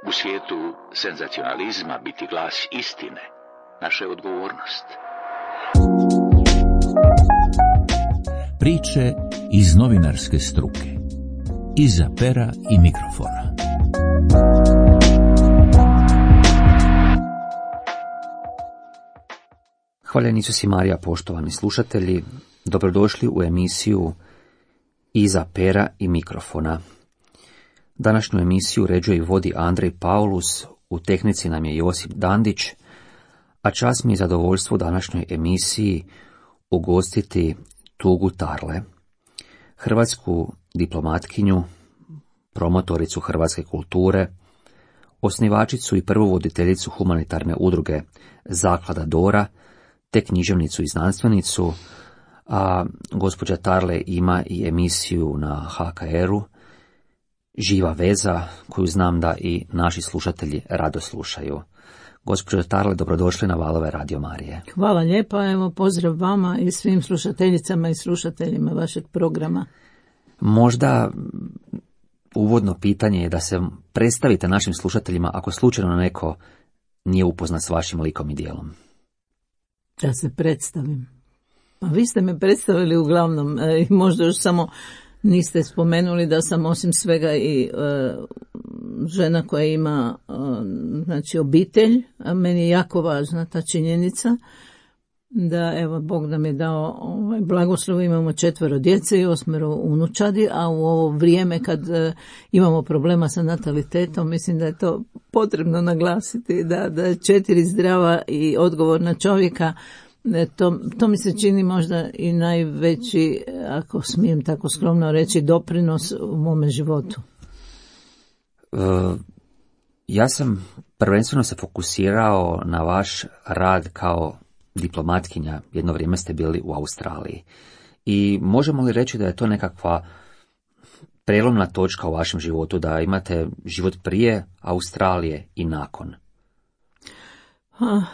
U svijetu senzacionalizma biti glas istine naša je odgovornost. Priče iz novinarske struke. Iza pera i mikrofona. Hvaljen Isus i Marija, poštovani slušatelji, dobrodošli u emisiju Iza pera i mikrofona. Današnju emisiju uređuje i vodi Andrej Paulus, u tehnici nam je Josip Dandić, a čast mi je zadovoljstvo u današnjoj emisiji ugostiti Tugu Tarle, hrvatsku diplomatkinju, promotoricu hrvatske kulture, osnivačicu i prvu voditeljicu humanitarne udruge Zaklada Dora, te književnicu i znanstvenicu, a gospođa Tarle ima i emisiju na HKR-u, Živa veza, koju znam da i naši slušatelji rado slušaju. Gospođo Tarle, dobrodošli na valove Radio Marije. Hvala lijepa, evo pozdrav vama i svim slušateljicama i slušateljima vašeg programa. Možda uvodno pitanje je da se predstavite našim slušateljima ako slučajno neko nije upoznat s vašim likom i djelom. Da se predstavim. Pa vi ste me predstavili uglavnom, možda još samo niste spomenuli da sam osim svega i žena koja ima znači obitelj, a meni je jako važna ta činjenica da evo Bog nam je dao blagoslov, imamo 4 djece i 8 unučadi, a u ovo vrijeme kad imamo problema sa natalitetom, mislim da je to potrebno naglasiti, da je 4 zdrava i odgovorna čovjeka, to mi se čini možda i najveći, ako smijem tako skromno reći, doprinos u mome životu. Ja sam prvenstveno se fokusirao na vaš rad kao diplomatkinja. Jedno vrijeme ste bili u Australiji. I možemo li reći da je to nekakva prelomna točka u vašem životu, da imate život prije Australije i nakon?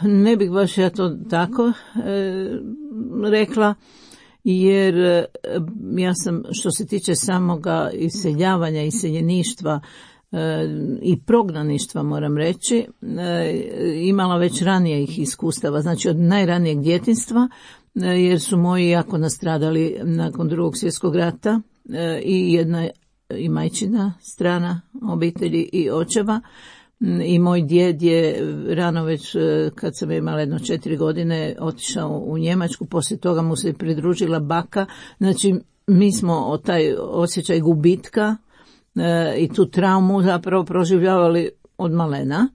Ne bih baš ja to tako rekla, jer ja sam, što se tiče samoga iseljavanja, iseljeništva i prognaništva, moram reći, imala već ranijih iskustava, znači od najranijeg djetinjstva, jer su moji jako nastradali nakon II. Svjetskog rata i jedna i majčina strana obitelji i očeva. I moj djed je rano već, kad sam imala 4 godine, otišao u Njemačku, poslije toga mu se pridružila baka. Znači, mi smo taj osjećaj gubitka i tu traumu zapravo proživljavali od malena.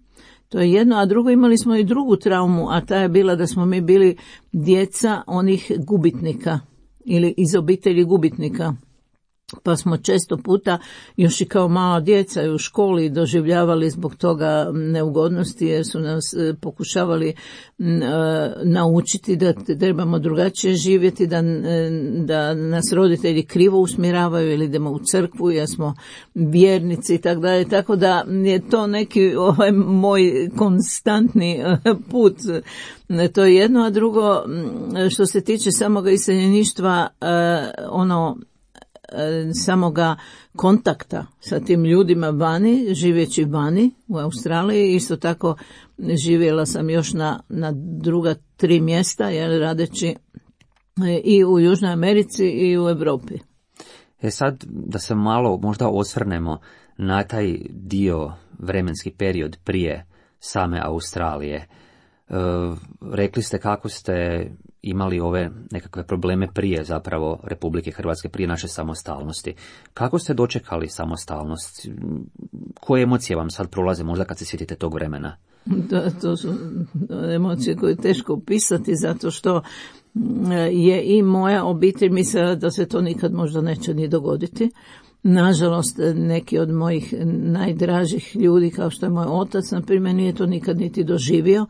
To je jedno, a drugo, imali smo i drugu traumu, a ta je bila da smo mi bili djeca onih gubitnika ili iz obitelji gubitnika. Pa smo često puta još i kao mala djeca u školi doživljavali zbog toga neugodnosti, jer su nas pokušavali naučiti da trebamo drugačije živjeti, da nas roditelji krivo usmjeravaju ili idemo u crkvu jer smo vjernici i tako dalje. Tako da je to neki moj konstantni put. To je jedno, a drugo, što se tiče samoga iseljeništva, samoga kontakta sa tim ljudima vani, živeći vani u Australiji. Isto tako živjela sam još na druga 3 mjesta, radeći i u Južnoj Americi i u Europi. Sad da se malo možda osvrnemo na taj dio, vremenski period prije same Australije. Rekli ste kako ste imali ove nekakve probleme prije zapravo Republike Hrvatske, prije naše samostalnosti. Kako ste dočekali samostalnost? Koje emocije vam sad prolaze možda kad se sjetite tog vremena? To su emocije koje je teško opisati, zato što je i moja obitelj mislila da se to nikad možda neće ni dogoditi. Nažalost, neki od mojih najdražih ljudi, kao što je moj otac, na primjer, nije to nikad niti doživio.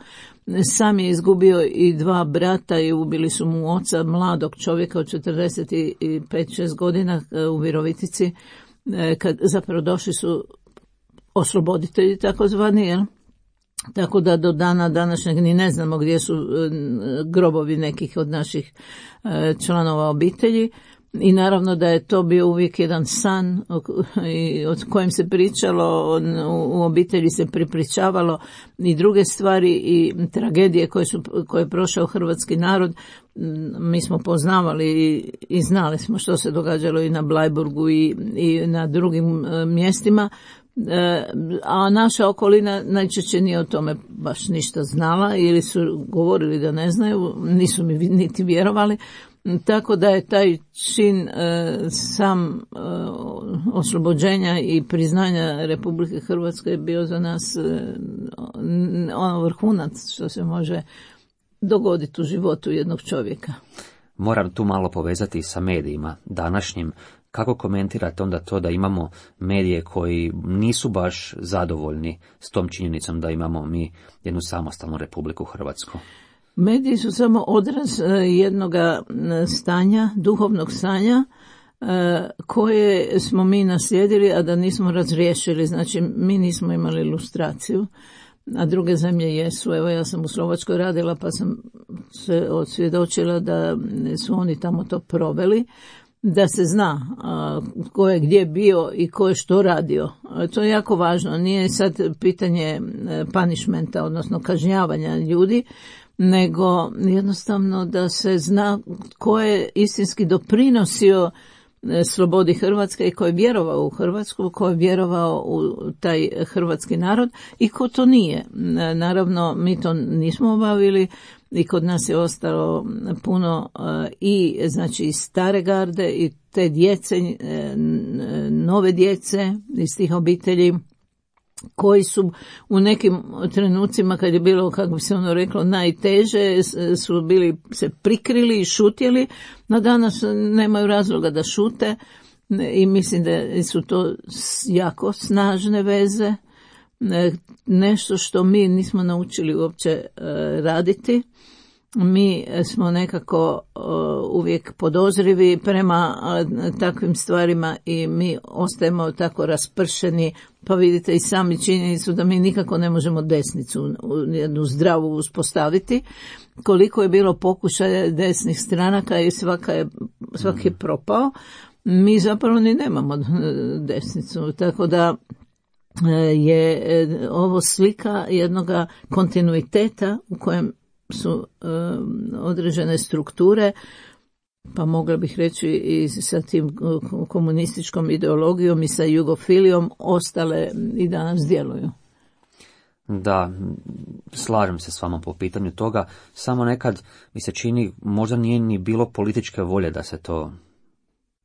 Sam je izgubio i 2 brata i ubili su mu oca, mladog čovjeka od 45-6 godina u Virovitici, kad zapravo došli su osloboditelji takozvani, jel? Tako da do dana današnjeg ni ne znamo gdje su grobovi nekih od naših članova obitelji. i naravno da je to bio uvijek jedan san o kojem se pričalo, u obitelji se pripričavalo i druge stvari i tragedije koje je prošao hrvatski narod. Mi smo poznavali i znali smo što se događalo i na Bleiburgu i na drugim mjestima, a naša okolina najčešće nije o tome baš ništa znala ili su govorili da ne znaju, nisu mi niti vjerovali. Tako da je taj čin sam oslobođenja i priznanja Republike Hrvatske bio za nas ono vrhunac što se može dogoditi u životu jednog čovjeka. Moram tu malo povezati sa medijima današnjim. Kako komentirate onda to da imamo medije koji nisu baš zadovoljni s tom činjenicom da imamo mi jednu samostalnu Republiku Hrvatsku? Mediji su samo odraz jednoga stanja, duhovnog stanja koje smo mi naslijedili, a da nismo razriješili. Znači, mi nismo imali ilustraciju, a druge zemlje jesu. Evo, ja sam u Slovačkoj radila pa sam se osvjedočila da su oni tamo to proveli, da se zna ko je gdje bio i ko je što radio. To je jako važno. Nije sad pitanje punishmenta, odnosno kažnjavanja ljudi, nego jednostavno da se zna ko je istinski doprinosio slobodi Hrvatske i ko je vjerovao u Hrvatsku, ko je vjerovao u taj hrvatski narod i ko to nije. Naravno, mi to nismo obavili i kod nas je ostalo puno i znači stare garde i te djece, nove djece iz tih obitelji koji su u nekim trenucima kad je bilo, kako bi se ono reklo, najteže, su bili se prikrili i šutjeli, no danas nemaju razloga da šute i mislim da su to jako snažne veze, nešto što mi nismo naučili uopće raditi. Mi smo nekako uvijek podozrivi prema takvim stvarima i mi ostajemo tako raspršeni, pa vidite i sami činjenicu da mi nikako ne možemo desnicu jednu zdravu uspostaviti. Koliko je bilo pokušaja desnih stranaka i svaki je propao, mi zapravo ni nemamo desnicu, tako da je ovo slika jednoga kontinuiteta u kojem su određene strukture, pa mogla bih reći i sa tim komunističkom ideologijom i sa jugofilijom ostale i danas djeluju. Da, slažem se s vama po pitanju toga, samo nekad mi se čini možda nije ni bilo političke volje da se to...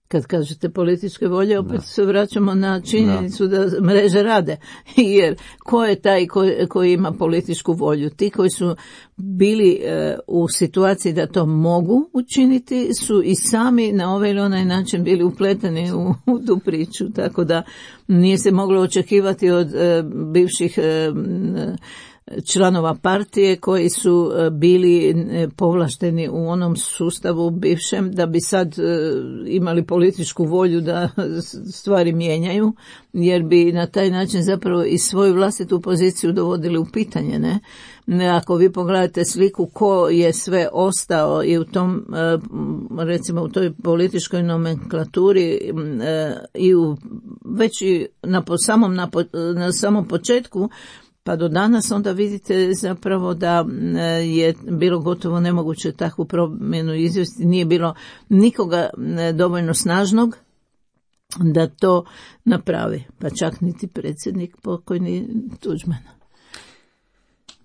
Kad kažete političke volje, opet se vraćamo na činjenicu da mreže rade. Jer ko je taj koji ima političku volju? Ti koji su bili u situaciji da to mogu učiniti su i sami na ovaj ili onaj način bili upleteni u tu priču. Tako da nije se moglo očekivati od bivših članova partije koji su bili povlašteni u onom sustavu bivšem da bi sad imali političku volju da stvari mijenjaju, jer bi na taj način zapravo i svoju vlastitu poziciju dovodili u pitanje, ne? Ako vi pogledate sliku ko je sve ostao i u tom, recimo u toj političkoj nomenklaturi i već i na samom početku pa do danas, onda vidite zapravo da je bilo gotovo nemoguće takvu promjenu izvesti. Nije bilo nikoga dovoljno snažnog da to napravi, pa čak niti predsjednik pokojni Tuđman.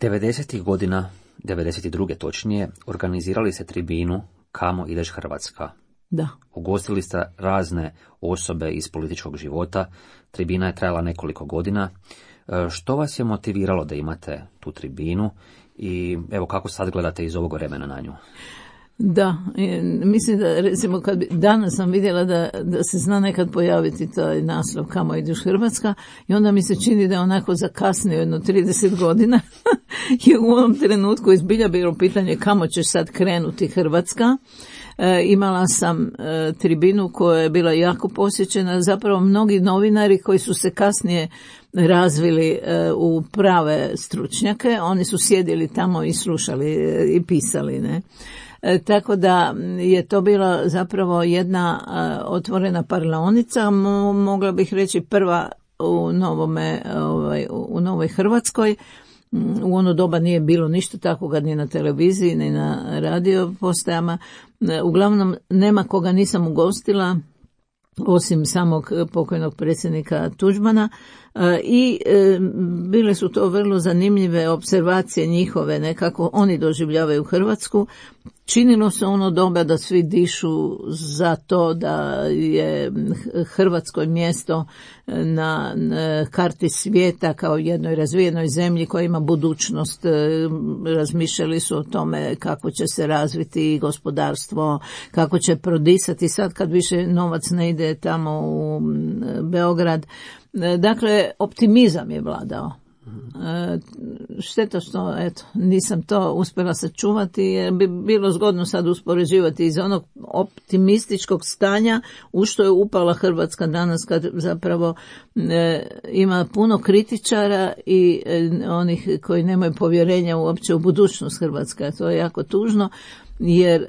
90. godina, 92. točnije, organizirali ste tribinu Kamo ideš Hrvatska. Da. Ugostili ste razne osobe iz političkog života. Tribina je trajala nekoliko godina. Što vas je motiviralo da imate tu tribinu i evo kako sad gledate iz ovog vremena na nju? Da, mislim da recimo danas sam vidjela da se zna nekad pojaviti taj naslov Kamo ideš Hrvatska i onda mi se čini da je onako zakasnio jedno 30 godina i u ovom trenutku izbilja bilo pitanje kamo će sad krenuti Hrvatska. Imala sam tribinu koja je bila jako posjećena, zapravo mnogi novinari koji su se kasnije razvili u prave stručnjake, oni su sjedili tamo i slušali i pisali, ne. Tako da je to bila zapravo jedna otvorena parlaonica, mogla bih reći prva u Novoj Hrvatskoj. U ono doba nije bilo ništa takvoga ni na televiziji, ni na radio postajama. Uglavnom, nema koga nisam ugostila, osim samog pokojnog predsjednika Tuđmana, i bile su to vrlo zanimljive observacije njihove, nekako oni doživljavaju Hrvatsku. Činilo se ono doba da svi dišu za to da je Hrvatskoj mjesto na karti svijeta kao jednoj razvijenoj zemlji koja ima budućnost. Razmišljali su o tome kako će se razviti gospodarstvo, kako će prodisati sad kad više novac ne ide tamo u Beograd. Dakle, optimizam je vladao. Šteta što nisam to uspjela sačuvati, jer bi bilo zgodno sad uspoređivati iz onog optimističkog stanja u što je upala Hrvatska danas, kad zapravo ima puno kritičara i onih koji nemaju povjerenja uopće u budućnost Hrvatske. To je jako tužno, jer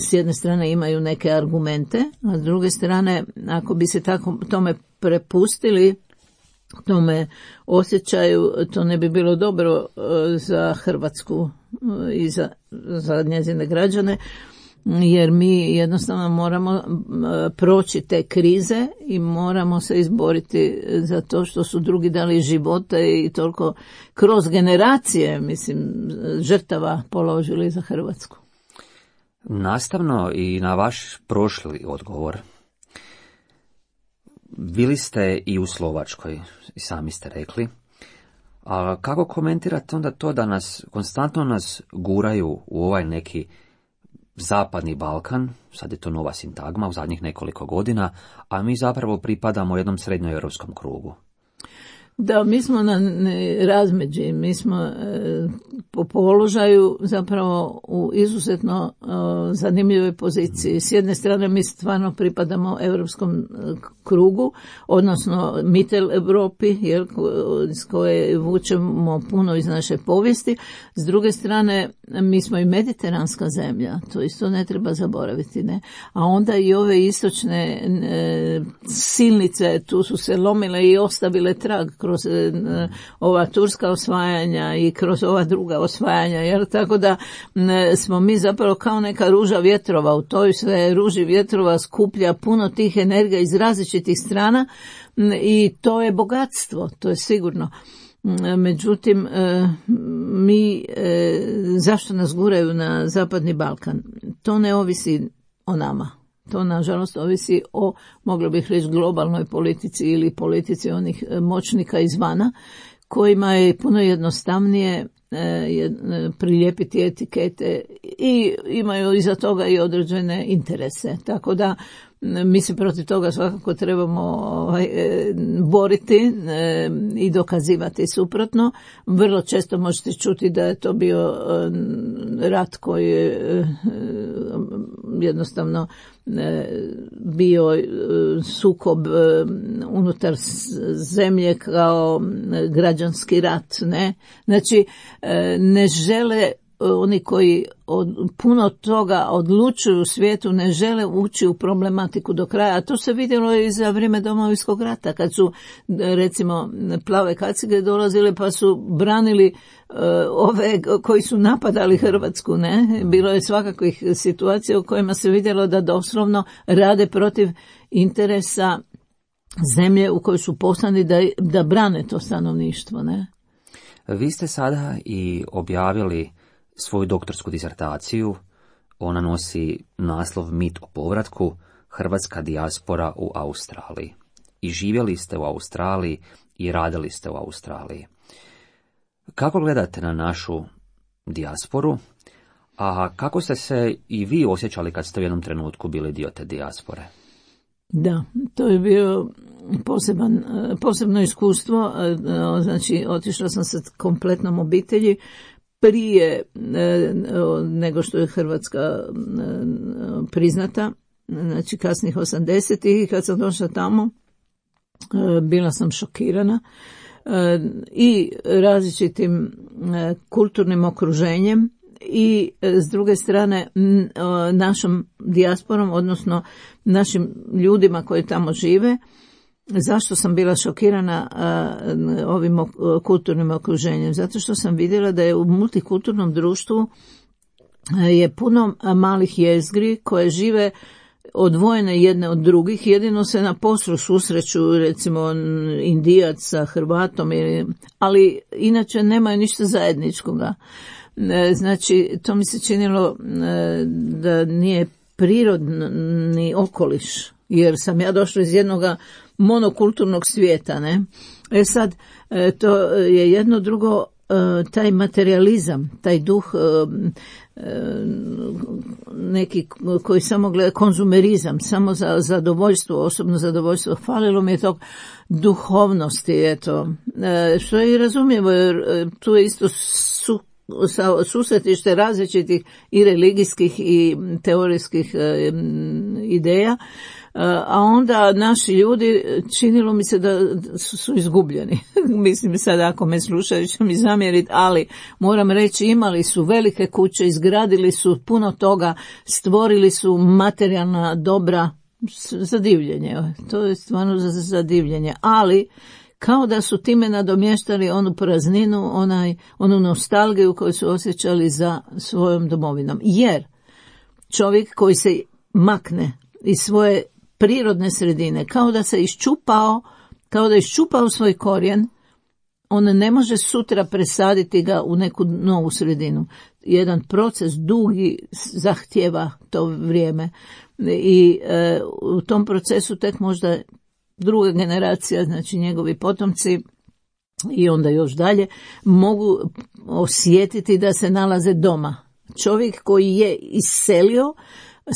s jedne strane imaju neke argumente, a s druge strane, ako bi se tako tome prepustili, tome osjećaju, to ne bi bilo dobro za Hrvatsku i za njezine građane, jer mi jednostavno moramo proći te krize i moramo se izboriti za to što su drugi dali živote i toliko kroz generacije, žrtava položili za Hrvatsku. Nastavno i na vaš prošli odgovor, bili ste i u Slovačkoj, i sami ste rekli. A kako komentirate onda to da konstantno nas guraju u ovaj neki zapadni Balkan, sad je to nova sintagma u zadnjih nekoliko godina, a mi zapravo pripadamo jednom srednjoeuropskom krugu? Da, mi smo na razmeđi, mi smo po položaju zapravo u izuzetno zanimljivoj poziciji. S jedne strane mi stvarno pripadamo europskom krugu, odnosno Mittel Europi, s koje vučemo puno iz naše povijesti. S druge strane, mi smo i mediteranska zemlja, to isto ne treba zaboraviti, ne? A onda i ove istočne silnice tu su se lomile i ostavile trag kroz ova turska osvajanja i kroz ova druga osvajanja, jer tako da smo mi zapravo kao neka ruža vjetrova, u toj sve ruži vjetrova skuplja puno tih energija iz različitih strana i to je bogatstvo, to je sigurno. Međutim, mi, zašto nas guraju na zapadni Balkan? To ne ovisi o nama. To, nažalost, ovisi o, moglo bih reći, globalnoj politici ili politici onih moćnika izvana, kojima je puno jednostavnije prilijepiti etikete i imaju iza toga i određene interese. Tako da mi se protiv toga svakako trebamo boriti i dokazivati suprotno. Vrlo često možete čuti da je to bio rat koji je jednostavno bio sukob unutar zemlje kao građanski rat, ne? Znači, ne žele oni koji puno toga odlučuju u svijetu, ne žele ući u problematiku do kraja. A to se vidjelo i za vrijeme Domovinskog rata, kad su, recimo, plave kacige dolazile pa su branili ove koji su napadali Hrvatsku, ne? Bilo je svakakvih situacija u kojima se vidjelo da doslovno rade protiv interesa zemlje u kojoj su poslani da brane to stanovništvo, ne? Vi ste sada i objavili svoju doktorsku disertaciju. Ona nosi naslov Mit o povratku, hrvatska dijaspora u Australiji. I živjeli ste u Australiji i radili ste u Australiji. Kako gledate na našu dijasporu, a kako ste se i vi osjećali kad ste u jednom trenutku bili dio te dijaspore? Da, to je bio posebno iskustvo. Znači, otišla sam sa kompletnom obitelji prije nego što je Hrvatska priznata, znači kasnih 80-ih, i kad sam došla tamo bila sam šokirana i različitim kulturnim okruženjem i s druge strane našom dijasporom, odnosno našim ljudima koji tamo žive. Zašto sam bila šokirana ovim kulturnim okruženjem? Zato što sam vidjela da je u multikulturnom društvu je puno malih jezgri koje žive odvojene jedne od drugih, jedino se na poslu susreću, recimo Indijac sa Hrvatom, ali inače nemaju ništa zajedničkoga. Znači, to mi se činilo da nije prirodni okoliš, jer sam ja došla iz jednog monokulturnog svijeta, ne? Sad, to je jedno, drugo, taj materializam, taj duh neki koji samo gleda, konzumerizam, samo za zadovoljstvo, osobno zadovoljstvo, falilo mi je tog duhovnosti, eto, što je i razumljivo, jer tu je isto susretište različitih i religijskih i teorijskih ideja, a onda naši ljudi, činilo mi se da su izgubljeni. Mislim sad, ako me slušaju će mi zamjeriti, ali moram reći, imali su velike kuće, izgradili su puno toga, stvorili su materijalna dobra za divljenje. To je stvarno za divljenje, ali kao da su time nadomještali onu prazninu, onu nostalgiju koju su osjećali za svojom domovinom. Jer čovjek koji se makne iz svoje prirodne sredine, kao da se iščupao, kao da je iščupao svoj korijen, on ne može sutra presaditi ga u neku novu sredinu. Jedan proces dugi zahtjeva to vrijeme i u tom procesu tek možda druga generacija, znači njegovi potomci i onda još dalje, mogu osjetiti da se nalaze doma. Čovjek koji je iselio,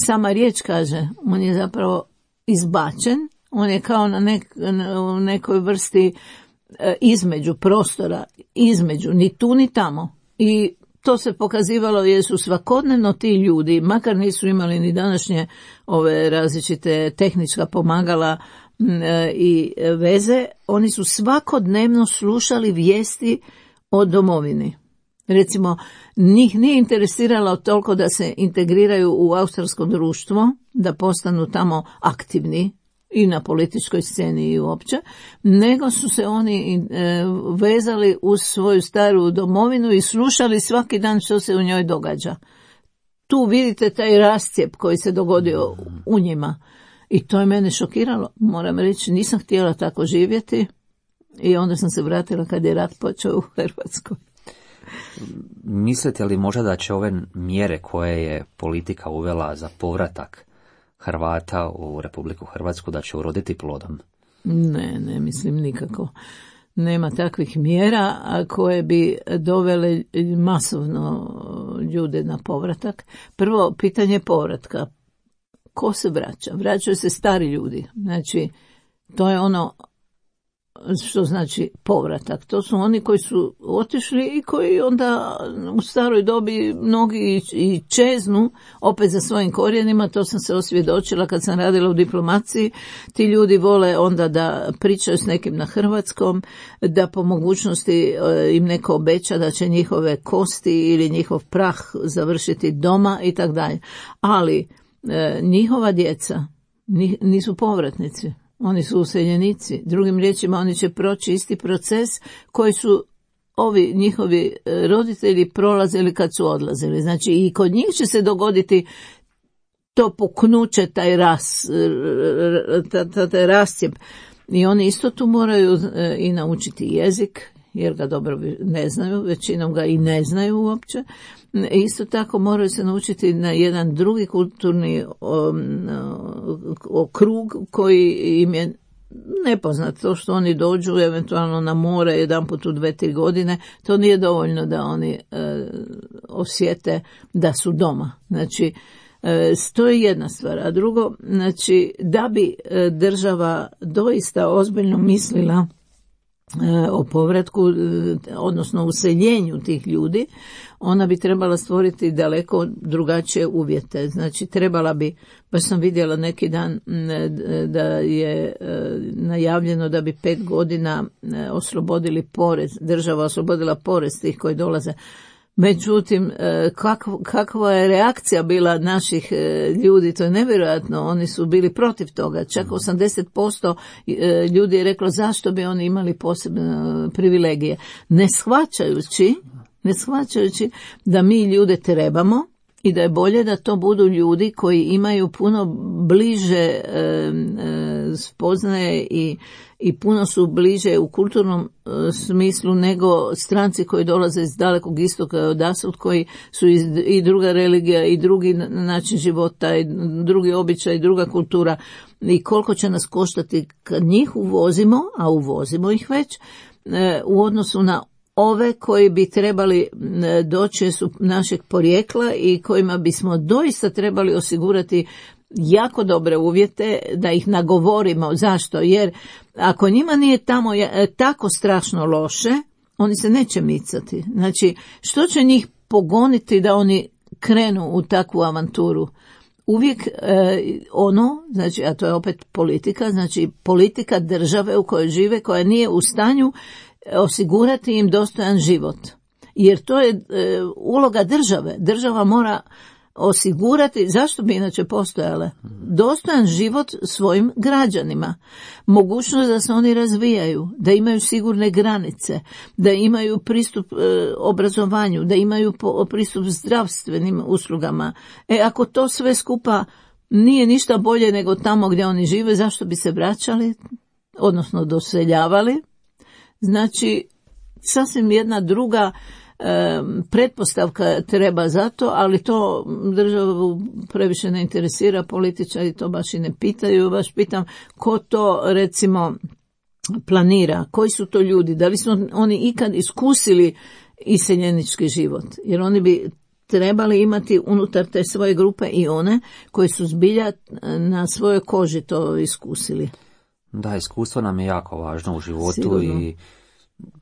sama riječ kaže, on je zapravo izbačen, on je kao u nekoj vrsti između prostora, između, ni tu ni tamo. I to se pokazivalo jer su svakodnevno ti ljudi, makar nisu imali ni današnje ove različite tehnička pomagala i veze, oni su svakodnevno slušali vijesti o domovini. Recimo, njih nije interesiralo toliko da se integriraju u australsko društvo, da postanu tamo aktivni i na političkoj sceni i uopće, nego su se oni vezali uz svoju staru domovinu i slušali svaki dan što se u njoj događa. Tu vidite taj rascijep koji se dogodio u njima. I to je mene šokiralo, moram reći, nisam htjela tako živjeti i onda sam se vratila kad je rat počeo u Hrvatskoj. Mislite li možda da će ove mjere koje je politika uvela za povratak Hrvata u Republiku Hrvatsku da će uroditi plodom? Ne mislim nikako. Nema takvih mjera koje bi dovele masovno ljude na povratak. Prvo, pitanje povratka. Ko se vraća? Vraćaju se stari ljudi. Znači, to je ono što znači povratak. To su oni koji su otišli i koji onda u staroj dobi mnogi i čeznu opet za svojim korijenima. To sam se osvjedočila kad sam radila u diplomaciji. Ti ljudi vole onda da pričaju s nekim na hrvatskom, da po mogućnosti im neko obeća da će njihove kosti ili njihov prah završiti doma i tako dalje. Ali njihova djeca nisu povratnici. Oni su useljenici. Drugim riječima, oni će proći isti proces koji su ovi njihovi roditelji prolazili kad su odlazili. Znači i kod njih će se dogoditi to puknuće, taj rascijep. I oni isto tu moraju i naučiti jezik, jer ga dobro ne znaju, većinom ga i ne znaju uopće. Isto tako moraju se naučiti na jedan drugi kulturni krug koji im je nepoznat. To što oni dođu eventualno na more jedanput u 2-3 godine, to nije dovoljno da oni osjete da su doma. Znači, to je jedna stvar. A drugo, znači, da bi država doista ozbiljno mislila o povratku, odnosno useljenju tih ljudi, ona bi trebala stvoriti daleko drugačije uvjete. Znači, trebala bi, baš sam vidjela neki dan da je najavljeno da bi 5 godina oslobodili porez, država oslobodila porez tih koji dolaze. Međutim, kakva je reakcija bila naših ljudi, to je nevjerojatno, oni su bili protiv toga, čak 80% ljudi je reklo zašto bi oni imali posebne privilegije, ne shvaćajući da mi ljude trebamo i da je bolje da to budu ljudi koji imaju puno bliže spoznaje i puno su bliže u kulturnom smislu nego stranci koji dolaze iz dalekog istoka odasud, koji su i druga religija i drugi način života i drugi običaj i druga kultura, i koliko će nas koštati kad njih uvozimo, a uvozimo ih već, u odnosu na ove koji bi trebali doći su našeg porijekla i kojima bismo doista trebali osigurati jako dobre uvjete da ih nagovorimo. Zašto? Jer ako njima nije tamo tako strašno loše, oni se neće micati. Znači, što će njih pogoniti da oni krenu u takvu avanturu? Uvijek znači, a to je opet politika, znači politika države u kojoj žive, koja nije u stanju osigurati im dostojan život. Jer to je uloga države. Država mora osigurati, zašto bi inače postojale, dostojan život svojim građanima, mogućnost da se oni razvijaju, da imaju sigurne granice, da imaju pristup obrazovanju, da imaju pristup zdravstvenim uslugama. Ako to sve skupa nije ništa bolje nego tamo gdje oni žive, zašto bi se vraćali, odnosno doseljavali? Znači, sasvim jedna druga pretpostavka treba za to, ali to državu previše ne interesira, političari to baš i ne pitaju. Baš pitam ko to recimo planira, koji su to ljudi, da li su oni ikad iskusili iseljenički život, jer oni bi trebali imati unutar te svoje grupe i one koji su zbilja na svojoj koži to iskusili. Da, iskustvo nam je jako važno u životu. Sigurno. I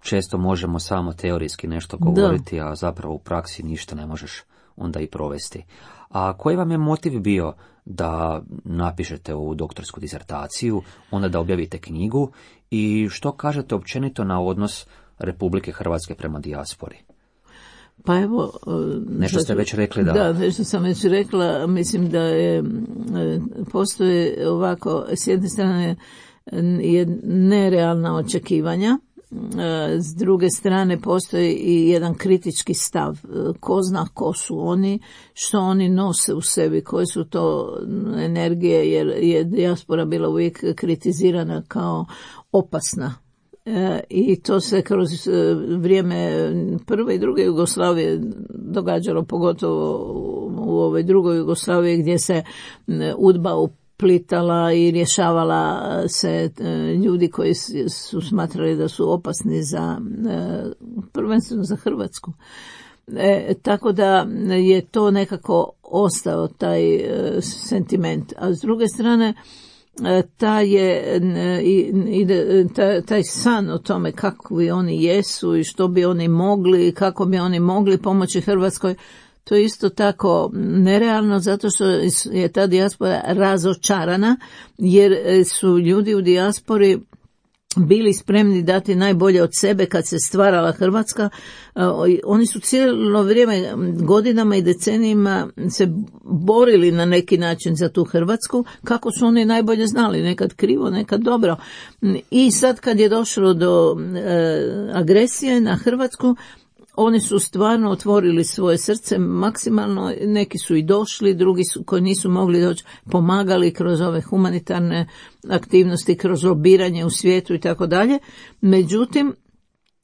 često možemo samo teorijski nešto govoriti, a zapravo u praksi ništa ne možeš onda i provesti. A koji vam je motiv bio da napišete ovu doktorsku disertaciju, onda da objavite knjigu, i što kažete općenito na odnos Republike Hrvatske prema dijaspori? Pa evo, nešto ste već rekli. Da, nešto sam već rekla. Mislim da postoje ovako, s jedne strane je nerealna očekivanja, s druge strane postoji i jedan kritički stav. Ko zna ko su oni, što oni nose u sebi, koje su to energije, jer je dijaspora bila uvijek kritizirana kao opasna. I to se kroz vrijeme prve i druge Jugoslavije događalo, pogotovo u ovoj drugoj Jugoslaviji gdje se UDBA uplitala i rješavala se ljudi koji su smatrali da su opasni za, prvenstveno za Hrvatsku. Tako da je to nekako ostao taj sentiment. A s druge strane, taj san o tome kakvi oni jesu i što bi oni mogli, kako bi oni mogli pomoći Hrvatskoj, to je isto tako nerealno, zato što je ta dijaspora razočarana, jer su ljudi u dijaspori bili spremni dati najbolje od sebe kad se stvarala Hrvatska. Oni su cijelo vrijeme, godinama i decenijima se borili na neki način za tu Hrvatsku, kako su oni najbolje znali, nekad krivo, nekad dobro. I sad kad je došlo do agresije na Hrvatsku, oni su stvarno otvorili svoje srce maksimalno, neki su i došli, drugi su koji nisu mogli doći, pomagali kroz ove humanitarne aktivnosti, kroz lobiranje u svijetu i tako dalje. Međutim,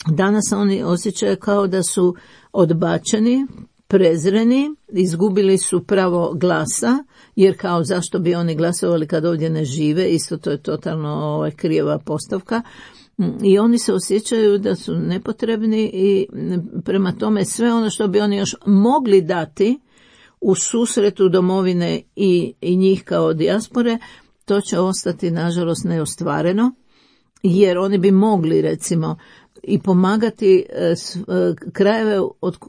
danas oni osjećaju kao da su odbačeni, prezreni, izgubili su pravo glasa, jer kao zašto bi oni glasovali kad ovdje ne žive, isto to je totalno krijeva postavka. I oni se osjećaju da su nepotrebni i prema tome sve ono što bi oni još mogli dati u susretu domovine i njih kao dijaspore, to će ostati nažalost neostvareno, jer oni bi mogli recimo i pomagati krajeve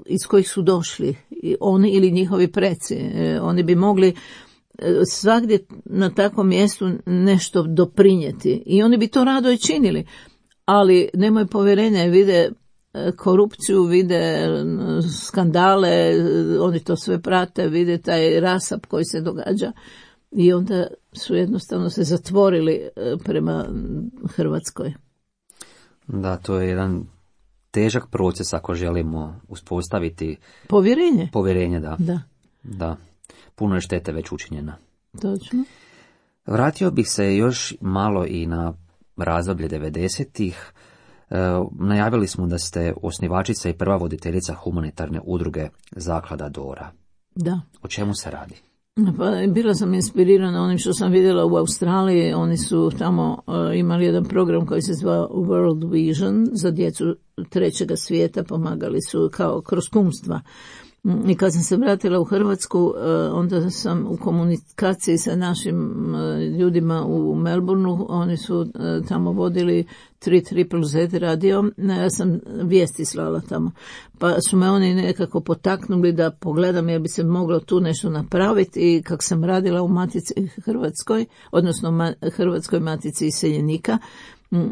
iz kojih su došli, oni ili njihovi preci. Oni bi mogli svagdje na takvom mjestu nešto doprinijeti i oni bi to rado i činili. Ali nemaju povjerenja i vide korupciju, vide skandale, oni to sve prate, vide taj rasap koji se događa i onda su jednostavno se zatvorili prema Hrvatskoj. Da, to je jedan težak proces ako želimo uspostaviti povjerenje, da. Puno je štete već učinjena. Točno. Vratio bih se još malo i na razdoblje 90-ih. Najavili smo da ste osnivačica i prva voditeljica humanitarne udruge Zaklada Dora. Da. O čemu se radi? Pa, bila sam inspirirana onim što sam vidjela u Australiji. Oni su tamo imali jedan program koji se zvao World Vision za djecu trećega svijeta, pomagali su kao kroz kumstva. I kad sam se vratila u Hrvatsku, onda sam u komunikaciji sa našim ljudima u Melbourneu, oni su tamo vodili 3ZZZ radio, ja sam vijesti slala tamo. Pa su me oni nekako potaknuli da pogledam jer bi se moglo tu nešto napraviti i kako sam radila u Matici Hrvatskoj, odnosno Hrvatskoj matici iseljenika,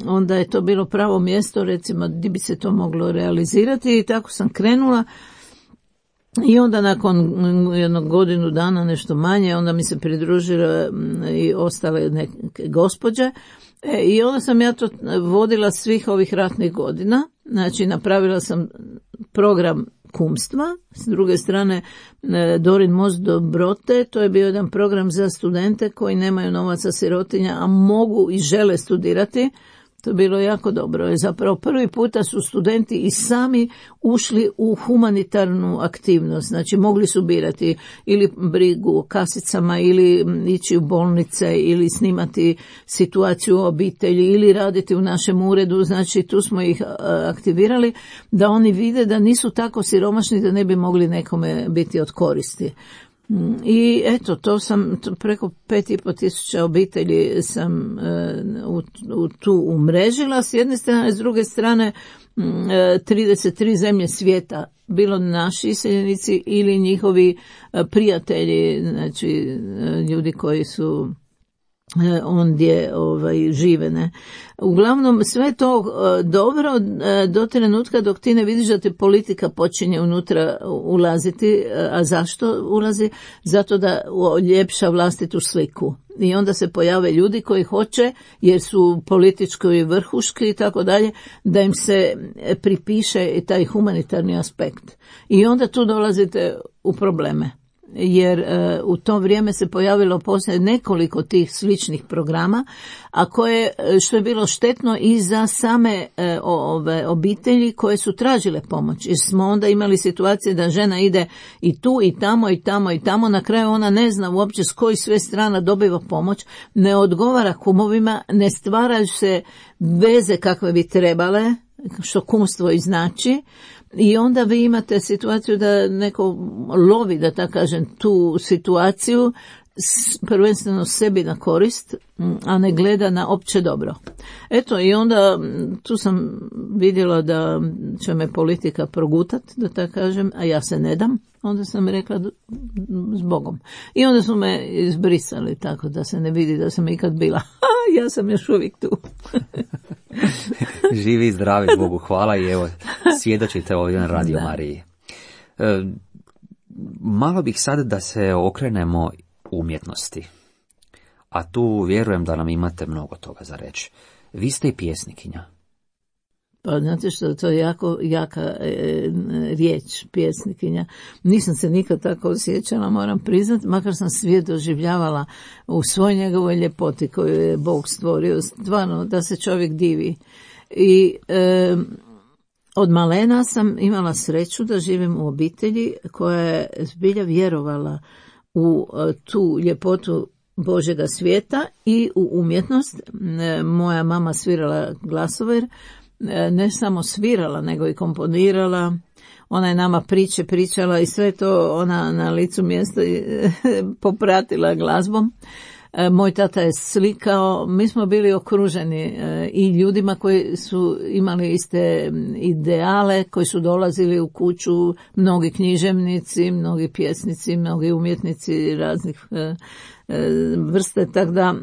onda je to bilo pravo mjesto, recimo, gdje bi se to moglo realizirati i tako sam krenula. I onda nakon jednog godinu dana, nešto manje, onda mi se pridružile i ostale neke gospođe. I onda sam ja to vodila svih ovih ratnih godina. Znači, napravila sam program kumstva. S druge strane, Dorin most dobrote, to je bio jedan program za studente koji nemaju novaca, sirotinja, a mogu i žele studirati. To je bilo jako dobro. Zapravo prvi puta su studenti i sami ušli u humanitarnu aktivnost. Znači mogli su birati ili brigu o kasicama ili ići u bolnice ili snimati situaciju u obitelji ili raditi u našem uredu. Znači tu smo ih aktivirali da oni vide da nisu tako siromašni da ne bi mogli nekome biti od koristi. I eto, preko 5.500 obitelji sam tu umrežila s jedne strane, s druge strane 33 zemlje svijeta, bilo naši iseljenici ili njihovi prijatelji, znači ljudi koji su ondje žive, ne. Uglavnom sve to dobro do trenutka dok ti ne vidiš da te politika počinje unutra ulaziti. A zašto ulazi? Zato da uljepša vlastitu sliku. I onda se pojave ljudi koji hoće, jer su politički i vrhuški i tako dalje, da im se pripiše taj humanitarni aspekt. I onda tu dolazite u probleme. Jer u to vrijeme se pojavilo poslije nekoliko tih sličnih programa, a što je bilo štetno i za same obitelji koje su tražile pomoć. Jer smo onda imali situacije da žena ide i tu i tamo i tamo i tamo, na kraju ona ne zna uopće s kojih sve strana dobiva pomoć, ne odgovara kumovima, ne stvaraju se veze kakve bi trebale, što kumstvo i znači. I onda vi imate situaciju da neko lovi, da tako kažem, tu situaciju prvenstveno sebi na korist, a ne gleda na opće dobro. Eto, i onda tu sam vidjela da će me politika progutat, da tako kažem, a ja se ne dam. Onda sam rekla s Bogom. I onda su me izbrisali tako da se ne vidi da sam ikad bila. Ja sam još uvijek tu. Živi i zdravi, Bogu hvala, i evo, svjedočite ovdje na Radio Mariji. Malo bih sad da se okrenemo umjetnosti. A tu vjerujem da nam imate mnogo toga za reći. Vi ste i pjesnikinja. Pa znate što, to je jako jaka riječ, pjesnikinja. Nisam se nikad tako osjećala, moram priznati, makar sam svijet doživljavala u svoj njegovoj ljepoti koju je Bog stvorio, stvarno da se čovjek divi. I od malena sam imala sreću da živim u obitelji koja je zbilja vjerovala u tu ljepotu Božjega svijeta i u umjetnost. Moja mama svirala glasover, ne samo svirala, nego i komponirala. Ona je nama pričala i sve to ona na licu mjesta popratila glazbom. Moj tata je slikao, mi smo bili okruženi i ljudima koji su imali iste ideale, koji su dolazili u kuću, mnogi književnici, mnogi pjesnici, mnogi umjetnici raznih vrste, tako da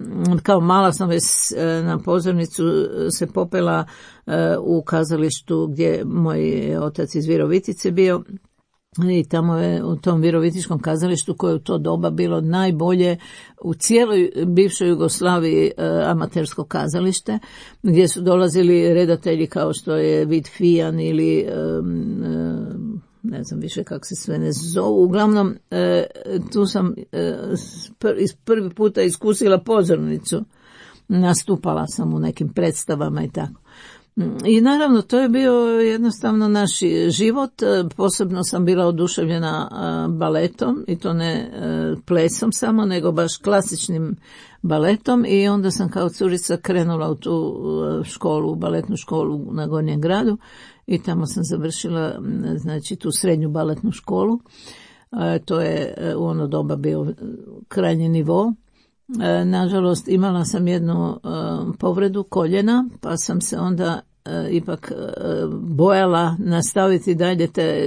kao mala sam već na pozornicu se popela u kazalištu gdje moj otac iz Virovitice bio. I tamo je u tom Virovitičkom kazalištu koje u to doba bilo najbolje u cijeloj bivšoj Jugoslaviji amatersko kazalište, gdje su dolazili redatelji kao što je Vid Fijan ili ne znam više kako se sve ne zovu. Uglavnom, tu sam prvi puta iskusila pozornicu. Nastupala sam u nekim predstavama i tako. I naravno, to je bio jednostavno naš život. Posebno sam bila oduševljena baletom, i to ne plesom samo, nego baš klasičnim baletom, i onda sam kao curica krenula u tu školu, baletnu školu na Gornjem gradu, i tamo sam završila, znači, tu srednju baletnu školu. To je u ono doba bio krajnji nivo. Nažalost, imala sam jednu povredu koljena, pa sam se onda ipak bojala nastaviti dalje te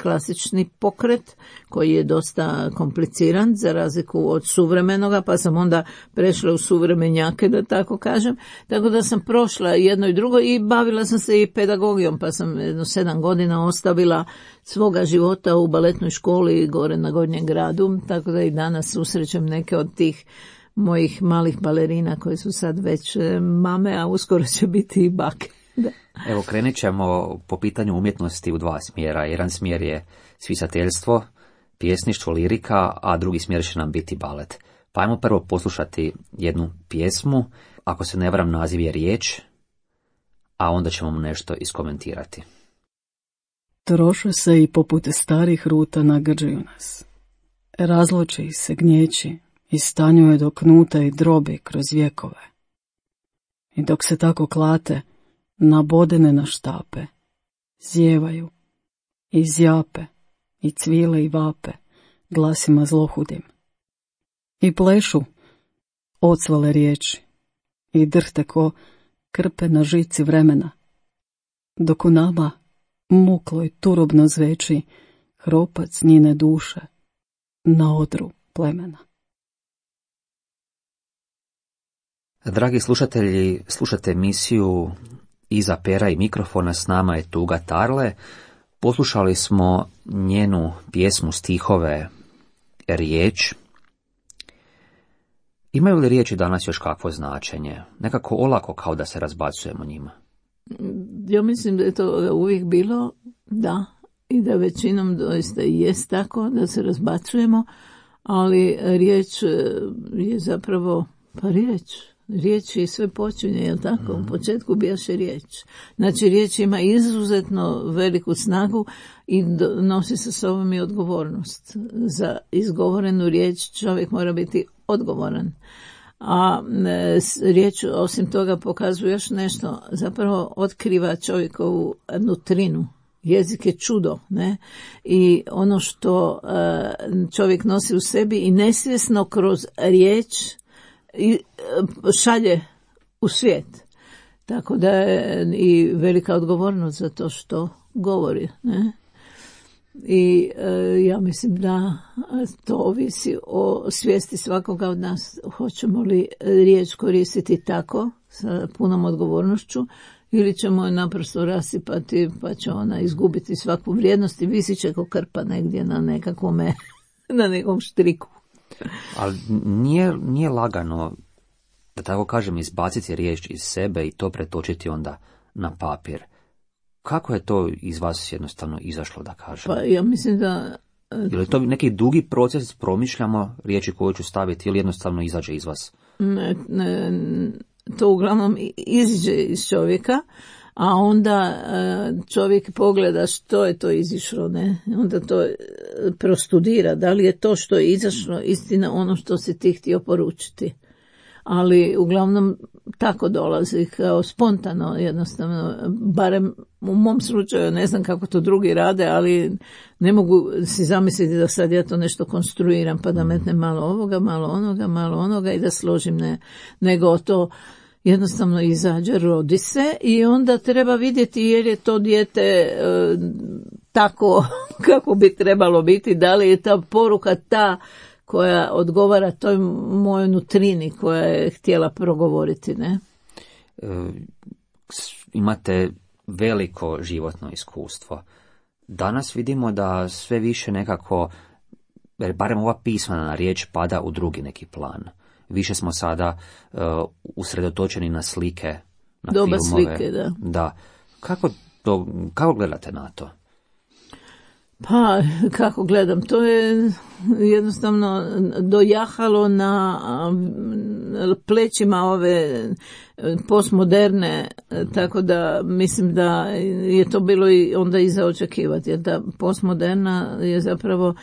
klasični pokret, koji je dosta kompliciran za razliku od suvremenoga, pa sam onda prešla u suvremenjake, da tako kažem. Tako da sam prošla jedno i drugo i bavila sam se i pedagogijom, pa sam 7 godina ostavila svoga života u baletnoj školi gore na Gornjem gradu, tako da i danas susrećem neke od tih mojih malih balerina koji su sad već mame, a uskoro će biti i bake. Da. Evo, krenut ćemo po pitanju umjetnosti u 2 smjera. Jedan smjer je spisateljstvo, pjesništvo, lirika, a drugi smjer će nam biti balet. Pa ajmo prvo poslušati jednu pjesmu, ako se ne varam naziv je Riječ, a onda ćemo mu nešto iskomentirati. Troše se i poput starih ruta nagrđuju nas. Razloči ih se gnjeći i stanjuje do knuta i drobi kroz vjekove. I dok se tako klate, nabodene na štape, zjevaju i zjape i cvile i vape glasima zlohudim. I plešu ocvale riječi i drhte ko krpe na žici vremena, dok u nama muklo i turobno zveči hropac njene duše na odru plemena. Dragi slušatelji, slušate emisiju Iza pera i mikrofona, s nama je Tuga Tarle. Poslušali smo njenu pjesmu, stihove Riječ. Imaju li riječi danas još kakvo značenje? Nekako olako kao da se razbacujemo njima. Ja mislim da je to uvijek bilo, da, i da većinom doista jest tako da se razbacujemo, ali riječ je zapravo pa riječ. Riječ i sve počinje, jel tako? U početku bijaše riječ. Znači, riječ ima izuzetno veliku snagu i nosi sa sobom i odgovornost. Za izgovorenu riječ čovjek mora biti odgovoran. A riječ osim toga pokazuje još nešto, zapravo otkriva čovjekovu nutrinu. Jezik je čudo, ne? I ono što čovjek nosi u sebi i nesvjesno kroz riječ i šalje u svijet. Tako da je i velika odgovornost za to što govori, ne? I ja mislim da to ovisi o svijesti svakoga od nas. Hoćemo li riječ koristiti tako, sa punom odgovornošću, ili ćemo je naprosto rasipati pa će ona izgubiti svaku vrijednost i visit će ko krpa negdje na nekakvome, na nekom štriku. Ali nije lagano, da tako kažem, izbaciti riječ iz sebe i to pretočiti onda na papir. Kako je to iz vas jednostavno izašlo, da kažem? Pa ja mislim da... Je li to neki dugi proces, promišljamo riječi koju ću staviti ili jednostavno izađe iz vas? Ne, to uglavnom iziđe iz čovjeka, a onda čovjek pogleda što je to izišlo, ne? Onda to prostudira, da li je to što je izašlo istina ono što si ti htio poručiti. Ali uglavnom tako dolazi kao spontano, jednostavno, barem u mom slučaju ne znam kako to drugi rade, ali ne mogu si zamisliti da sad ja to nešto konstruiram pa da metnem malo ovoga, malo onoga i da složim, ne, nego to jednostavno izađe, rodi se i onda treba vidjeti je li to dijete tako kako bi trebalo biti, da li je ta poruka ta koja odgovara toj mojoj nutrini koja je htjela progovoriti, ne? Imate veliko životno iskustvo. Danas vidimo da sve više nekako, barem ova pismena riječ pada u drugi neki plan. Više smo sada usredotočeni na slike, na doba filmove. Slike, da. Da. Kako gledate na to? Pa, kako gledam, to je jednostavno dojahalo na plećima ove postmoderne, tako da mislim da je to bilo i onda i za očekivati, jer da postmoderna je zapravo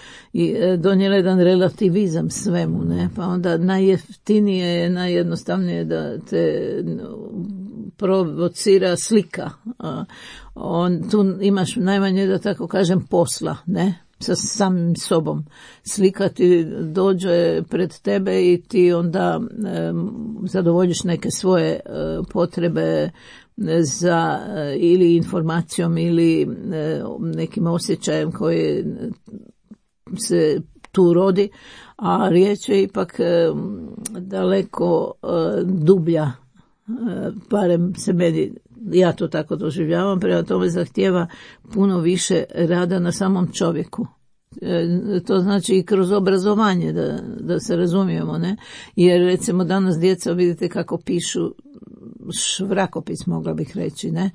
donijela jedan relativizam svemu, ne? Pa onda najjeftinije je, najjednostavnije da te provocira slika. Tu imaš najmanje, da tako kažem, posla, ne? Sa samim sobom. Slika ti dođe pred tebe i ti onda zadovoljiš neke svoje potrebe za ili informacijom ili nekim osjećajem koji se tu rodi, a riječ je ipak daleko dublja, barem se meni, ja to tako doživljavam, prema tome zahtijeva puno više rada na samom čovjeku. To znači i kroz obrazovanje, da se razumijemo, ne? Jer recimo danas djeca vidite kako pišu švrakopis, mogla bih reći, ne?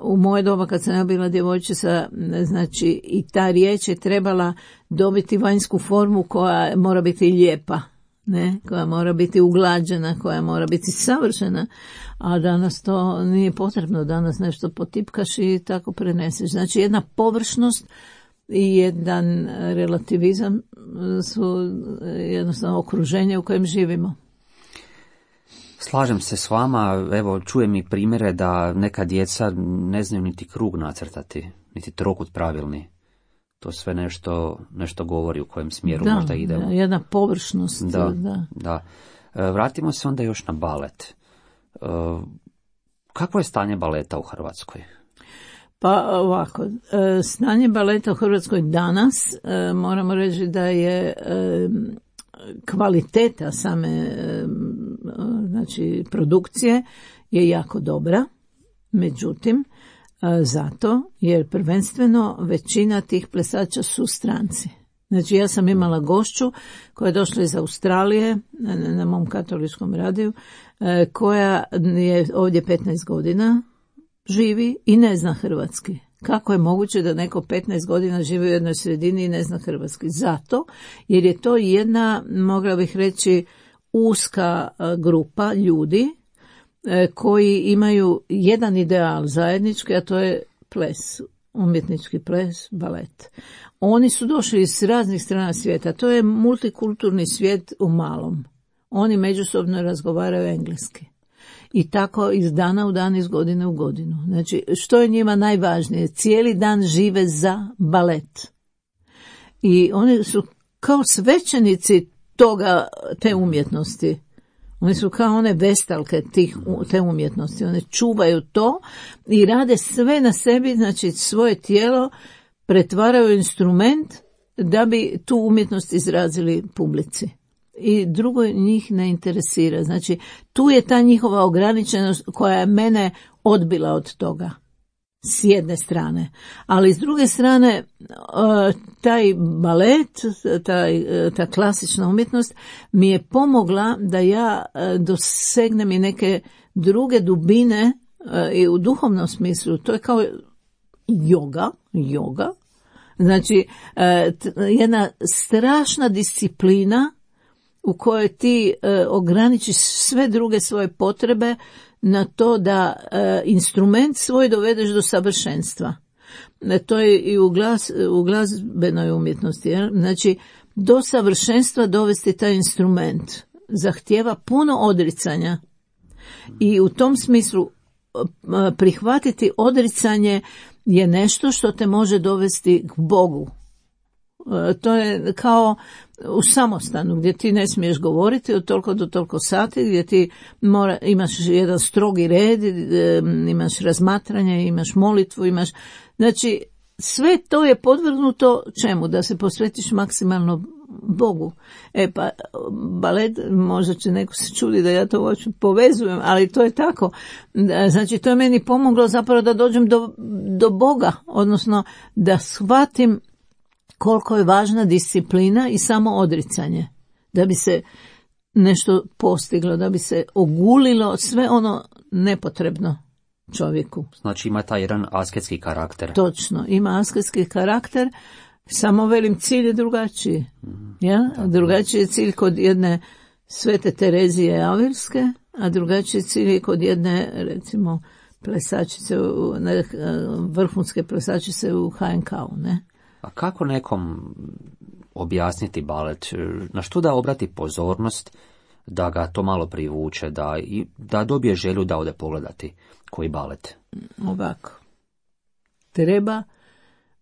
U moje doba kad sam ja bila djevojčica, znači i ta riječ je trebala dobiti vanjsku formu koja mora biti lijepa, ne, koja mora biti uglađena, koja mora biti savršena, a danas to nije potrebno, danas nešto potipkaš i tako preneseš. Znači jedna površnost i jedan relativizam su jednostavno okruženje u kojem živimo. Slažem se s vama, evo čujem i primjere da neka djeca ne znaju niti krug nacrtati, niti trokut pravilni. To sve nešto govori u kojem smjeru možda idemo. Da, jedna površnost. Da. Vratimo se onda još na balet. Kakvo je stanje baleta u Hrvatskoj? Pa ovako, stanje baleta u Hrvatskoj danas, moramo reći da je kvaliteta same znači, produkcije je jako dobra, međutim, zato jer prvenstveno većina tih plesača su stranci. Znači ja sam imala gošću koja je došla iz Australije na mom katoličkom radiju, koja je ovdje 15 godina, živi i ne zna hrvatski. Kako je moguće da neko 15 godina živi u jednoj sredini i ne zna hrvatski? Zato jer je to jedna, mogla bih reći, uska grupa ljudi koji imaju jedan ideal zajednički, a to je ples, umjetnički ples, balet. Oni su došli iz raznih strana svijeta, to je multikulturni svijet u malom. Oni međusobno razgovaraju engleski. I tako iz dana u dan, iz godine u godinu. Znači, što je njima najvažnije? Cijeli dan žive za balet. I oni su kao svećenici te umjetnosti. Oni su kao one vestalke te umjetnosti. One čuvaju to i rade sve na sebi, znači svoje tijelo pretvaraju u instrument da bi tu umjetnost izrazili publici. I drugo njih ne interesira. Znači, tu je ta njihova ograničenost koja je mene odbila od toga. S jedne strane. Ali s druge strane, taj balet, ta klasična umjetnost mi je pomogla da ja dosegnem i neke druge dubine i u duhovnom smislu. To je kao joga. Znači, jedna strašna disciplina u kojoj ti ograničiš sve druge svoje potrebe na to da instrument svoj dovedeš do savršenstva. To je i u glazbenoj umjetnosti. Znači, do savršenstva dovesti taj instrument zahtijeva puno odricanja. I u tom smislu prihvatiti odricanje je nešto što te može dovesti k Bogu. To je kao u samostanu gdje ti ne smiješ govoriti od toliko do toliko sati, gdje ti imaš jedan strogi red, imaš razmatranje, imaš molitvu, znači sve to je podvrgnuto čemu? Da se posvetiš maksimalno Bogu. Pa balet, možda će neko se čudi da ja to uopće povezujem, ali to je tako. Znači to je meni pomoglo zapravo da dođem do Boga, odnosno da shvatim koliko je važna disciplina i samo odricanje, da bi se nešto postiglo, da bi se ogulilo sve ono nepotrebno čovjeku. Znači ima taj jedan asketski karakter. Točno, ima asketski karakter, samo velim cilj je drugačiji. Ja? Drugačiji je cilj kod jedne Svete Terezije Avilske, a drugačiji cilj je kod jedne, recimo, plesačice, vrhunske plesačice u HNK-u, ne? A kako nekom objasniti balet? Na što da obrati pozornost, da ga to malo privuče, da dobije želju da ode pogledati koji balet? Ovako. Treba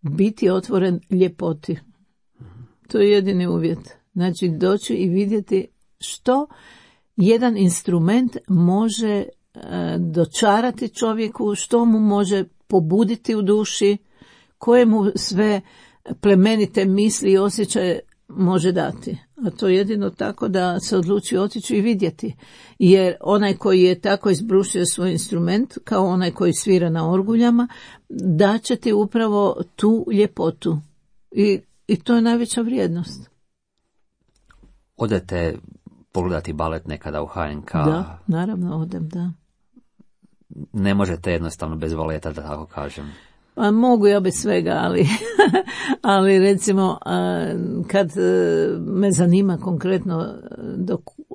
biti otvoren ljepoti. To je jedini uvjet. Znači doći i vidjeti što jedan instrument može dočarati čovjeku, što mu može pobuditi u duši, koje mu sve plemenite misli i osjećaje može dati. A to je jedino tako da se odluči otići i vidjeti. Jer onaj koji je tako izbrušio svoj instrument, kao onaj koji svira na orguljama, daće ti upravo tu ljepotu. I to je najveća vrijednost. Odete pogledati balet nekada u HNK? Da, naravno odem, da. Ne možete jednostavno bez baleta, da tako kažem. Pa mogu ja bez svega, ali recimo kad me zanima konkretno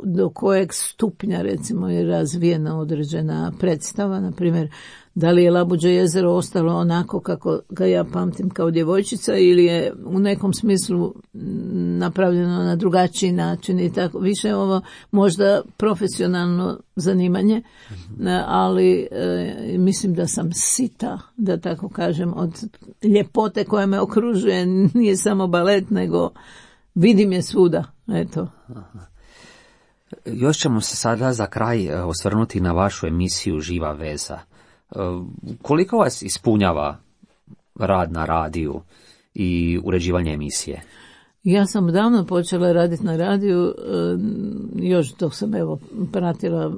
do kojeg stupnja recimo je razvijena određena predstava, na primjer da li je Labuđe jezero ostalo onako kako ga ja pamtim kao djevojčica ili je u nekom smislu napravljeno na drugačiji način i tako. Više ovo možda profesionalno zanimanje, ali mislim da sam sita, da tako kažem, od ljepote koja me okružuje. Nije samo balet, nego vidim je svuda. Eto. Još ćemo se sada za kraj osvrnuti na vašu emisiju Živa veza. Koliko vas ispunjava rad na radiju i uređivanje emisije? Ja sam davno počela raditi na radiju, još dok sam pratila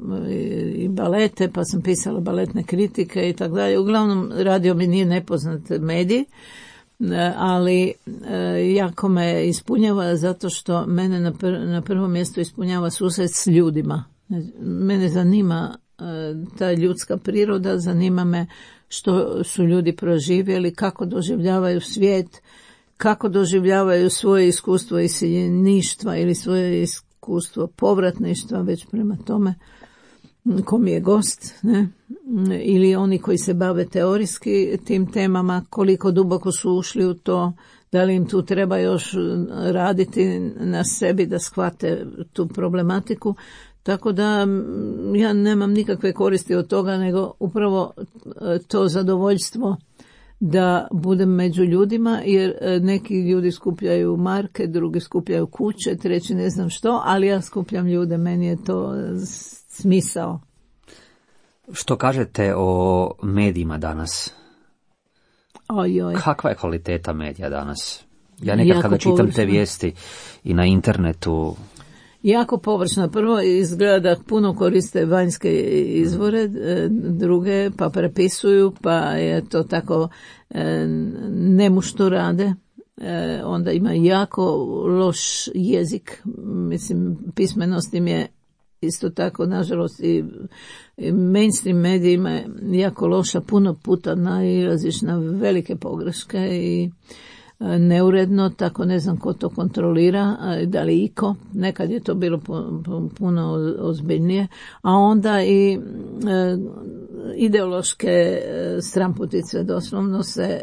i balete, pa sam pisala baletne kritike i tako dalje. Uglavnom, radio mi nije nepoznat medij, ali jako me ispunjava zato što mene na prvom mjestu ispunjava susret s ljudima. Mene zanima ta ljudska priroda, zanima me što su ljudi proživjeli, kako doživljavaju svijet, kako doživljavaju svoje iskustvo iseljeništva ili svoje iskustvo povratništva, već prema tome ko mi je gost, ne? Ili oni koji se bave teorijski tim temama, koliko duboko su ušli u to, da li im tu treba još raditi na sebi da shvate tu problematiku. Tako da ja nemam nikakve koristi od toga, nego upravo to zadovoljstvo da budem među ljudima, jer neki ljudi skupljaju marke, drugi skupljaju kuće, treći ne znam što, ali ja skupljam ljude, meni je to smisao. Što kažete o medijima danas? Ojoj. Kakva je kvaliteta medija danas? Ja nekad kada čitam te vijesti i na internetu... Jako površno. Prvo izgleda da puno koriste vanjske izvore, druge pa prepisuju, pa je to tako nemušto rade. Onda ima jako loš jezik, mislim, pismenost im je isto tako, nažalost, i mainstream medijima jako loša, puno puta nailaziš na velike pogreške i neuredno, tako ne znam ko to kontrolira, da li iko, nekad je to bilo puno ozbiljnije, a onda i ideološke stramputice, doslovno se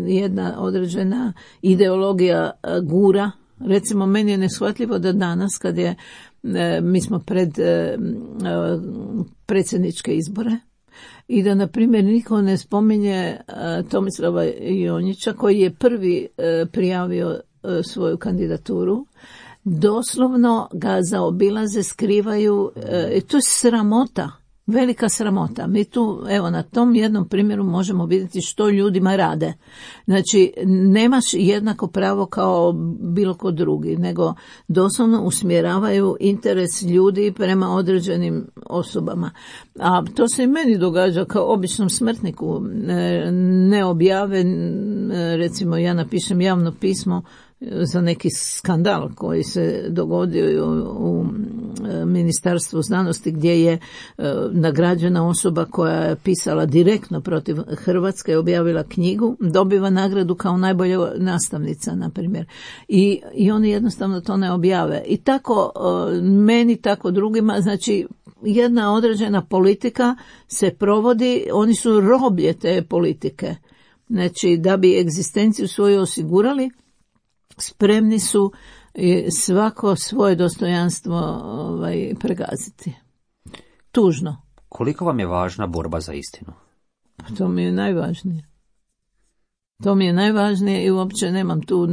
jedna određena ideologija gura. Recimo, meni je neshvatljivo da danas, kad je mi smo pred predsjedničke izbore, I da, na primjer, niko ne spominje Tomislava Jonjića, koji je prvi prijavio svoju kandidaturu. Doslovno ga zaobilaze, skrivaju, i to je sramota, velika sramota. Mi tu, evo, na tom jednom primjeru možemo vidjeti što ljudima rade. Znači, nemaš jednako pravo kao bilo ko drugi, nego doslovno usmjeravaju interes ljudi prema određenim osobama. A to se i meni događa kao običnom smrtniku. Ne objave, recimo ja napišem javno pismo za neki skandal koji se dogodio u Ministarstvu znanosti, gdje je nagrađena osoba koja je pisala direktno protiv Hrvatske, objavila knjigu, dobiva nagradu kao najbolja nastavnica, na primjer. I oni jednostavno to ne objave. I tako meni, tako drugima, znači jedna određena politika se provodi, oni su roblje te politike. Znači, da bi egzistenciju svoju osigurali, spremni su svako svoje dostojanstvo pregaziti. Tužno. Koliko vam je važna borba za istinu? To mi je najvažnije. To mi je najvažnije i uopće nemam tu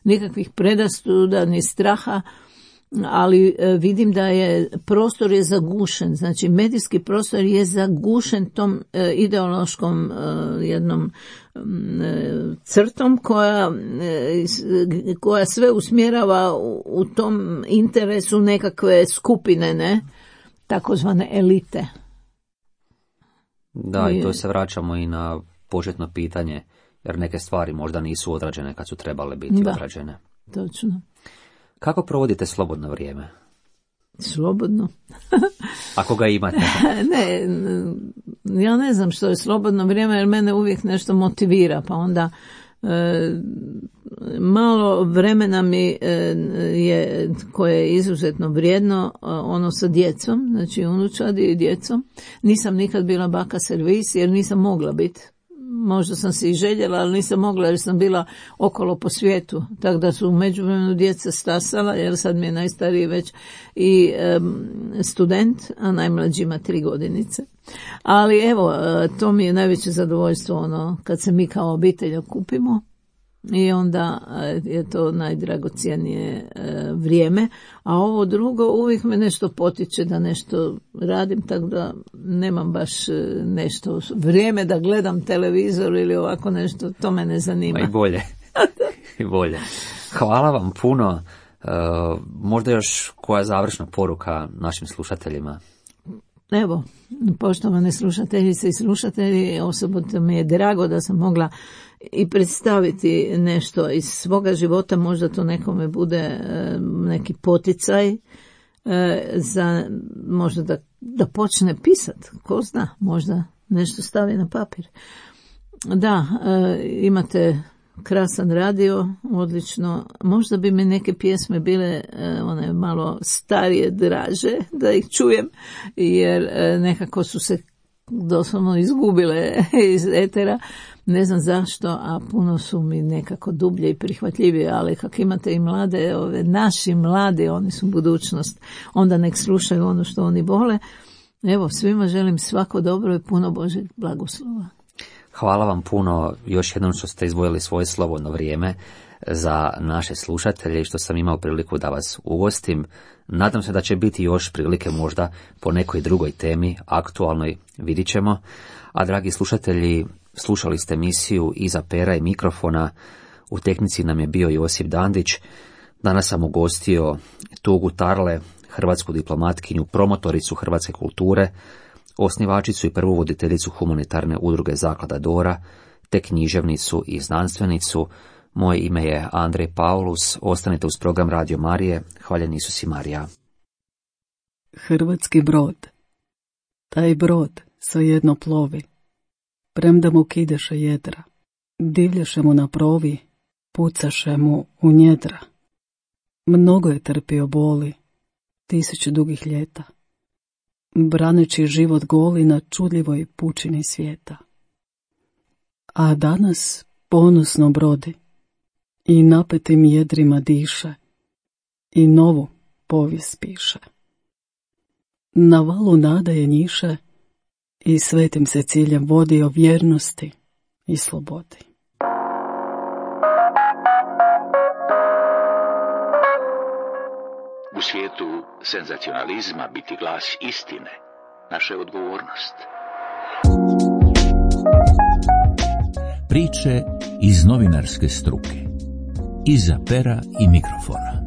nikakvih predrasuda ni straha, ali vidim da prostor je zagušen, znači medijski prostor je zagušen tom ideološkom jednom crtom koja sve usmjerava u tom interesu nekakve skupine, ne, takozvane elite. Da, i to se vraćamo i na početno pitanje, jer neke stvari možda nisu odrađene kad su trebale biti odrađene. Točno. Kako provodite slobodno vrijeme? Slobodno? Ako ga imate. Ne, ja ne znam što je slobodno vrijeme, jer mene uvijek nešto motivira, pa onda malo vremena mi je, koje je izuzetno vrijedno, ono sa djecom, znači unučadi i djecom. Nisam nikad bila baka servis jer nisam mogla biti. Možda sam se i željela, ali nisam mogla jer sam bila okolo po svijetu. Tako da su u međuvremenu djeca stasala, jer sad mi je najstariji već i student, a najmlađi ima 3 godinice. Ali evo, to mi je najveće zadovoljstvo, kad se mi kao obitelj okupimo. I onda je to najdragocjenije vrijeme, a ovo drugo uvijek me nešto potiče da nešto radim, tako da nemam baš nešto vrijeme da gledam televizor ili ovako nešto, to me ne zanima. I bolje. I bolje. Hvala vam puno. Možda još koja završna poruka našim slušateljima? Evo, poštovane slušateljice i slušatelji, osobno mi je drago da sam mogla i predstaviti nešto iz svoga života, možda to nekome bude neki poticaj za možda da počne pisati, ko zna, možda nešto stavi na papir. Da, imate krasan radio, odlično. Možda bi mi neke pjesme bile one malo starije, draže, da ih čujem, jer nekako su se doslovno izgubile iz etera. Ne znam zašto, a puno su mi nekako dublje i prihvatljivije, ali kako imate i mlade, naši mladi, oni su budućnost, onda nek slušaju ono što oni vole. Evo, svima želim svako dobro i puno Božjeg blagoslova. Hvala vam puno još jednom što ste izdvojili svoje slobodno vrijeme za naše slušatelje i što sam imao priliku da vas ugostim. Nadam se da će biti još prilike možda po nekoj drugoj temi, aktualnoj, vidit ćemo. A dragi slušatelji, slušali ste emisiju Iza pera i mikrofona. U tehnici nam je bio Josip Dandić. Danas sam ugostio Tugu Tarle, hrvatsku diplomatkinju, promotoricu hrvatske kulture, osnivačicu i prvu voditeljicu humanitarne udruge Zaklada Dora, te književnicu i znanstvenicu. Moje ime je Andrej Paulus. Ostanite uz program Radio Marije. Hvaljen Isus i Marija. Hrvatski brod. Taj brod svejedno plovi, premda mu kideše jedra. Divljaše mu na provi, pucaše mu u njedra. Mnogo je trpio boli, 1000 dugih ljeta, braneći život goli na čudljivoj pučini svijeta. A danas ponosno brodi i napetim jedrima diše i novu povijest piše. Na valu nada je njiše i svetim se ciljem vodi o vjernosti i slobodi. U svijetu senzacionalizma biti glas istine, naša je odgovornost. Priče iz novinarske struke. Iza pera i mikrofona.